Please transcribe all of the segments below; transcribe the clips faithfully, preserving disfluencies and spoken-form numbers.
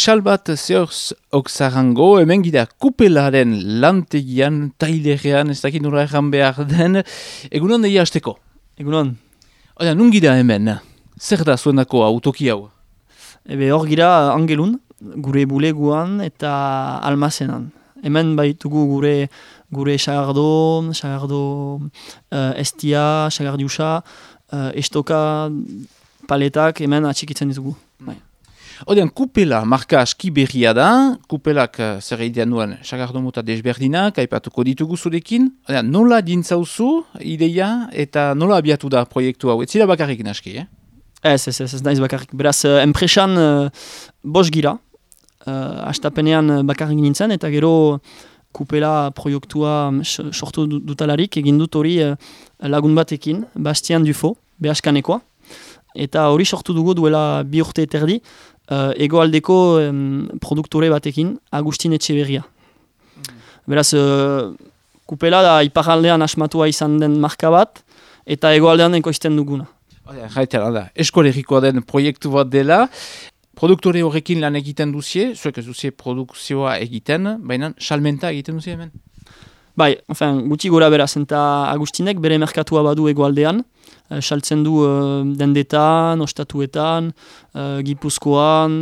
Salbat Zeoz Oksarango, hemen gira kupelaren lantegian, tailerean, ez dakit nora erran behar den, egunon deia hasteko. Egunon. Oda, nun gira hemen? Zer da zuenako autoki hau? Ebe hor gira Angelun, gure buleguan eta almazenan. Hemen baitugu gure gure sagardo, sagardo uh, estia, sagardiusa, uh, estoka, paletak, hemen atxikitzen ditugu. Bai. Odean, kupela marka aski berria da, kupelak uh, zer egitean duen sagardo mota desberdinak, aipatuko ditugu zurekin. Odean, nola dintzauzu ideia eta nola abiatu da proiektu hau? Ez zira bakarrik naski, eh? Ez, ez, ez, ez naiz bakarrik. Beraz, uh, enpresan uh, bos gira, uh, astapenean bakarrik nintzen, eta gero kupela proiektua sortu dutalarik, egin dut hori uh, lagun batekin, Bastian Dufo, behaskanekoa, eta hori sortu dugu duela bi urte eterdi, uh, egoaldeko um, produktore batekin, Agustin Etxeberria. Mm. Beraz, uh, kupela da iparaldean asmatua izan den marka bat, eta egoaldean ekoizten duguna. Jaitera da, eskolegikoa den proiektu bat dela, produktore horrekin lan egiten duzie, zuek ez duzie produkzioa egiten, baina salmenta egiten duzie hemen? Bai, enfin, guti gora beraz, eta Agustinek bere merkatua badu egoaldean, uh, saltzen du uh, dendetan, ostatuetan, uh, Gipuzkoan,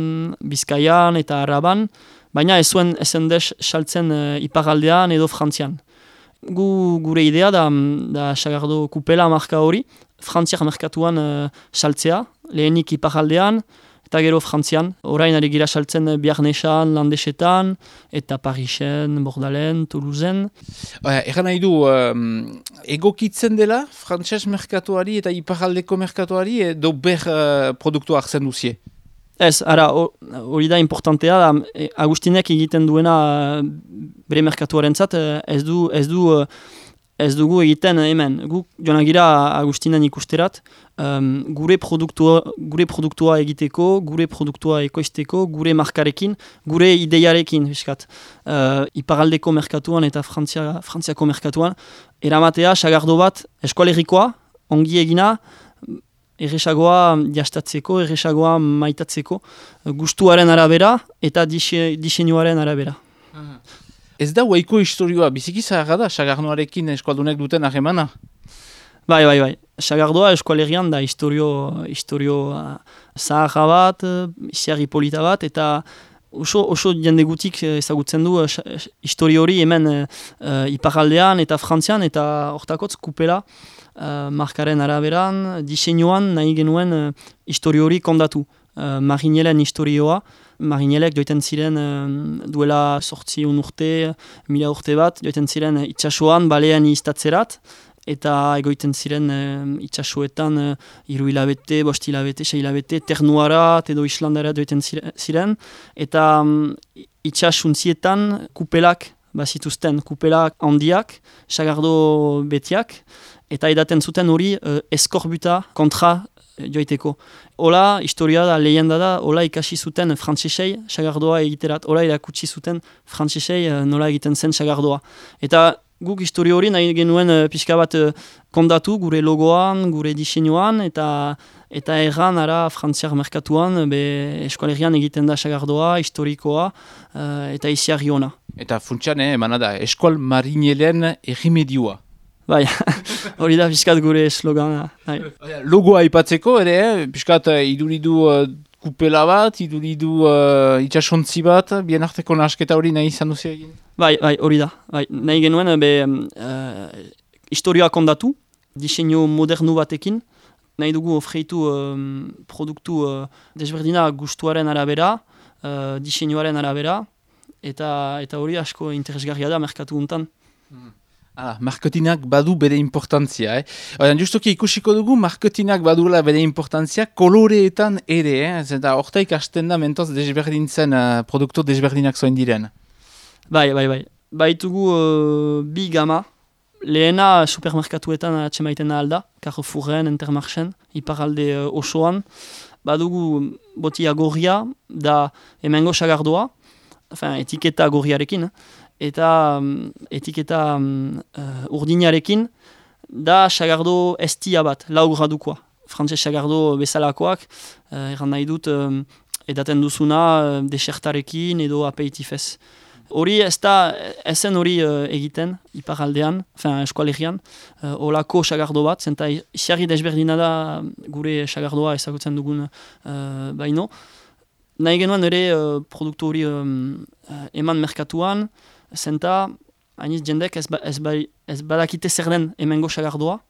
Bizkaian eta Araban, baina ez zuen esendez saltzen uh, iparaldean edo Frantzian. Gu, gure idea da, da sagardo kupela marka hori, Frantziak merkatuan uh, saltzea, lehenik iparaldean, eta gero Frantzian. Orain ari gira saltzen Biarnesan, Landesetan, eta Parisen, Bordalen, Toulousen. Egan nahi du, um, egokitzen dela frantses merkatuari eta iparaldeko merkatuari edo ber uh, produktua hartzen duzie? Ez, ara, hori da importantea, da, Agustinek egiten duena bere merkatuaren zat, ez du, ez du, ez dugu egiten hemen. Gu joan gira Agustinen ikusterat, um, gure, produktua, gure produktua egiteko, gure produktua ekoizteko, gure markarekin, gure ideiarekin, fiskat. Uh, iparaldeko merkatuan eta Frantzia, Frantziako merkatuan, eramatea, sagardo bat, eskoalerikoa, ongi egina, erresagoa jastatzeko, erresagoa maitatzeko, gustuaren arabera eta diseinuaren arabera. Ez da huaiko historioa, biziki zaharra da, sagarnoarekin eskualdunek duten harremana? Bai, bai, bai. Sagardoa eskualerian da historio, historio uh, zaharra bat, isiarri polita bat, eta oso, oso jende gutik ezagutzen du uh, historio hori hemen uh, iparaldean eta Frantzian, eta hortakotz kupela uh, markaren araberan, diseinuan nahi genuen uh, historio hori kondatu. Uh, Marinelen historioa, Marinelek joiten ziren uh, duela sortzi un urte, mila urte bat, joiten ziren uh, itxasuan, balean iztatzerat, eta egoiten ziren uh, itxasuetan uh, hiru hilabete, bost hilabete, sei hilabete, ternuarat edo Islandara joiten ziren, eta um, itxasuntzietan kupelak bazituzten, kupelak handiak, sagardo betiak, eta edaten zuten hori uh, eskorbuta kontra joiteko. Ola, historia da, lehenda da, ola ikasi zuten frantzesei sagardoa egiterat, ola irakutsi zuten frantzesei nola egiten zen sagardoa. Eta guk historia hori nahi genuen uh, pixka bat uh, kondatu gure logoan, gure diseinuan, eta eta erran ara frantziar merkatuan, be eskualerian egiten da sagardoa, historikoa, uh, eta isiarri ona. Eta funtsian, eh, emana da, eskual marinelen errimedioa. Bai, hori da piskat gure slogana. Logoa aipatzeko ere, eh? Piskat uh, iduridu uh, kupela bat, iduridu uh, itxasontzi bat, bien arteko nahasketa hori nahi izan duzi egin? Bai, bai, hori da. Bai, nahi genuen, be, uh, historioa kondatu, diseinu modernu batekin, nahi dugu ofreitu um, produktu uh, desberdina gustuaren arabera, uh, diseinuaren arabera, eta, eta hori asko interesgarria da merkatu guntan. Hmm. Ah, marketinak badu bere importantzia, eh? Oian, justoki ikusiko dugu, marketinak badula bere importantzia koloreetan ere, eh? Zeta hortaik hasten da mentoz desberdintzen uh, produktu desberdinak zoin diren. Bai, bai, bai. Baitugu uh, bi gama, lehena supermerkatuetan atxemaiten alda, Carrefourren, Intermarchen, iparalde uh, osoan. Badugu botia gorria, da hemengo sagardoa, enfin, etiketa gorriarekin, eh? Eta um, etiketa um, uh, urdinarekin da sagardo estia bat, lau gradukoa. Frantses sagardo bezalakoak, uh, erran nahi dut um, edaten duzuna desertarekin edo aperitifez. Hori ez da, ezen hori uh, egiten, iparaldean, eskualegian, uh, olako sagardo bat, zenta isiarri desberdina da gure sagardoa ezagutzen dugun uh, baino. Nahi genuen ere uh, produktu hori um, uh, eman merkatuan, zenta hainiz jendek ez, ba, ez, ba, ez badakite zer den hemengo sagardoa,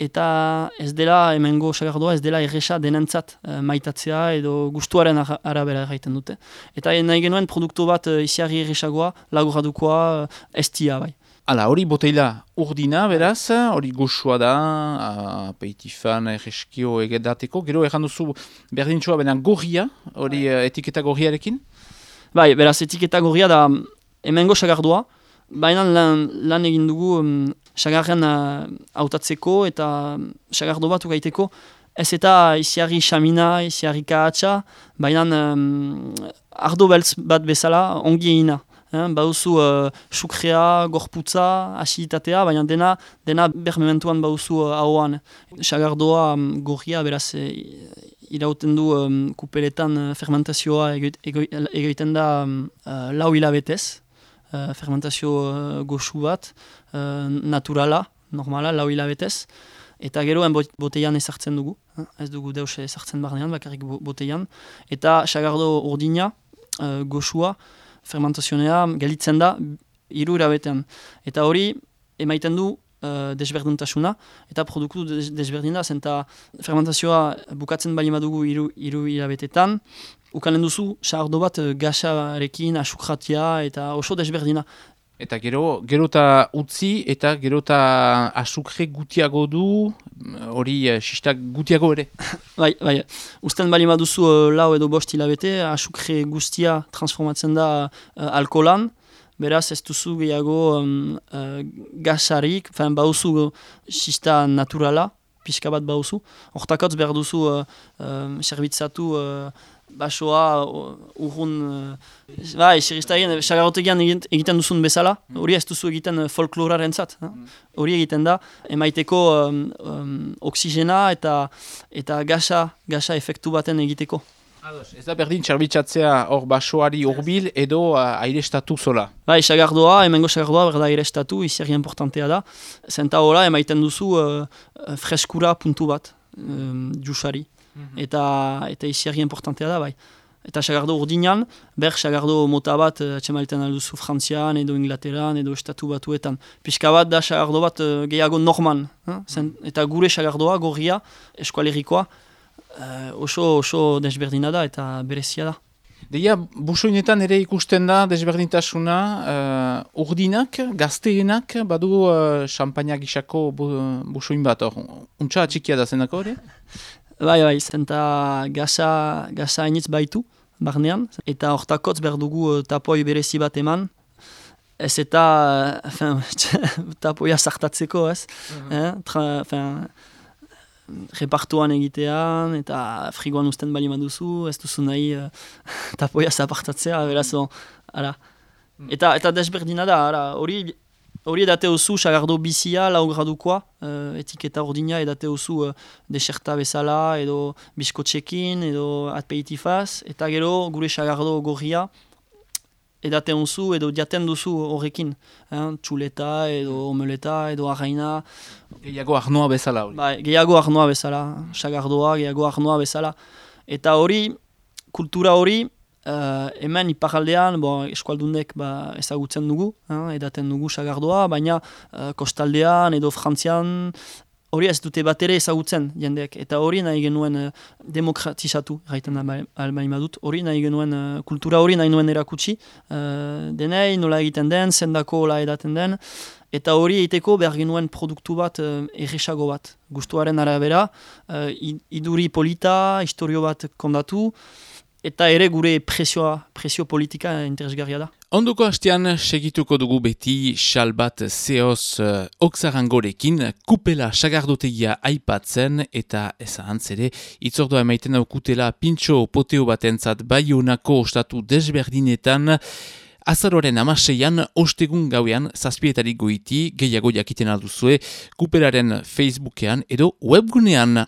eta ez dela hemengo sagardoa ez dela erresa denentzat uh, maitatzea edo gustuaren ara, arabera erraiten dute. Eta nahi genuen produktu bat uh, isiarri erresagoa, laguradukoa, uh, estia bai. Hala, hori boteila urdina, beraz, hori goxua da, apeitifan, erreskio egedateko, gero erran duzu berdintxoa benen gorria, hori uh, etiketa gorriarekin? Bai, beraz, etiketa gorria da hemengo sagardoa, baina lan, lan egin dugu um, sagarren hautatzeko uh, eta sagardo bat ugaiteko, ez eta isiarri xamina, isiarri kahatsa, baina um, ardo beltz bat bezala ongi egina. Eh? Bauzu uh, sukrea, gorputza, asiditatea, baina dena, dena bermementuan bauzu uh, ahoan. Sagardoa um, gorria, beraz, e, irauten du um, kupeletan uh, fermentazioa egiten da um, uh, lau hilabetez. Uh, fermentazio uh, goxu bat, uh, naturala, normala, lau hilabetez, eta gero boteian ezartzen dugu, eh? Ez dugu deus ezartzen barnean, bakarrik boteian, eta sagardo urdina, uh, goxua, fermentazionea gelitzen da hiru hilabetean. Eta hori emaiten du uh, desberdintasuna, eta produktu des desberdina, zenta fermentazioa bukatzen bali madugu hiru hilabetetan, ukanen duzu, sagardo bat gasarekin, asukratia eta oso desberdina. Eta gero, gero eta utzi eta gero eta asukre gutiago du, hori sistak gutiago ere. Bai, bai, usten bali maduzu uh, lau edo bost hilabete, asukre guztia transformatzen da uh, alkoholan, beraz ez duzu gehiago um, uh, gasarik, fein bauzu sista naturala, pixka bat bauzu. Hortakotz behar duzu uh, uh, serbitzatu uh, basoa, urrun, uh, bai, xerrizta egin, sagarrotegian egiten duzun bezala, hori ez duzu egiten folkloraren zat. Hori egiten da, emaiteko um, um, oksigena eta, eta gasa, gasa efektu baten egiteko. Ez da berdin txarbitzatzea hor basoari hurbil edo uh, airestatu zola? Bai, sagardoa, hemengo sagardoa berda airestatu, iziarri importantea da. Zenta hola, emaiten duzu uh, freskura puntu bat, um, jusari. Mm-hmm. Eta, eta iziarri importantea da, bai. Eta sagardo urdinan, ber sagardo mota bat atxemaiten alduzu Frantzian edo Inglaterran edo Estatu Batuetan. Pixka bat da sagardo bat uh, gehiago norman. Eh? Zen, eta gure sagardoa, gorria, eskualerikoa, Uh, oso, oso desberdina da eta berezia da. Deia, busoinetan ere ikusten da desberdintasuna, uh, urdinak, gazteenak, badu uh, champaina gisako bu, busoin bat hor. Untxa atxikia da zenako hori? Bai, bai, zenta gaza, gaza hainitz baitu, barnean, eta hortakotz behar dugu uh, tapoi berezi bat eman. Ez eta uh, tapoia sartatzeko, ez? Uh-huh. eh? Tra, fin, repartuan egitean, eta frigoan usten bali maduzu, ez duzu nahi uh, tapoia zapartatzea, beraz, ara. Eta, eta desberdina da, ara, hori hori edate osu sagardo bizia, lau gradukoa, uh, etiketa ordina edate osu uh, deserta bezala, edo biskotxekin, edo aperitifaz, eta gero gure sagardo gorria, edaten duzu edo jaten duzu horrekin. Eh? Txuleta edo omeleta edo arraina. Gehiago arnoa bezala hori. Bai, gehiago arnoa bezala, sagardoa, gehiago arnoa bezala. Eta hori, kultura hori, uh, hemen iparaldean, bon, eskualdundek ba, ezagutzen dugu, eh? Edaten dugu sagardoa, baina uh, kostaldean edo Frantzian, hori ez dute bat ere ezagutzen jendeak, eta hori nahi genuen uh, demokratizatu, gaiten albaima dut, hori nahi genuen, uh, kultura hori nahi nuen erakutsi, uh, denei nola egiten den, zendako hola edaten den, eta hori egiteko behar genuen produktu bat uh, erresago bat, gustuaren arabera, uh, iduri polita, historio bat kondatu, eta ere gure presioa, presio politika interesgarria da. Ondoko hastean segituko dugu beti xal bat zehoz uh, oksarangorekin, kupela sagardotegia aipatzen eta ezahantz ere, itzordua emaiten daukutela pintxo poteo batentzat Baionako ostatu desberdinetan, azaroaren amaseian, ostegun gauean, zazpietarik goiti, gehiago jakiten alduzue, kupelaren Facebookean edo webgunean.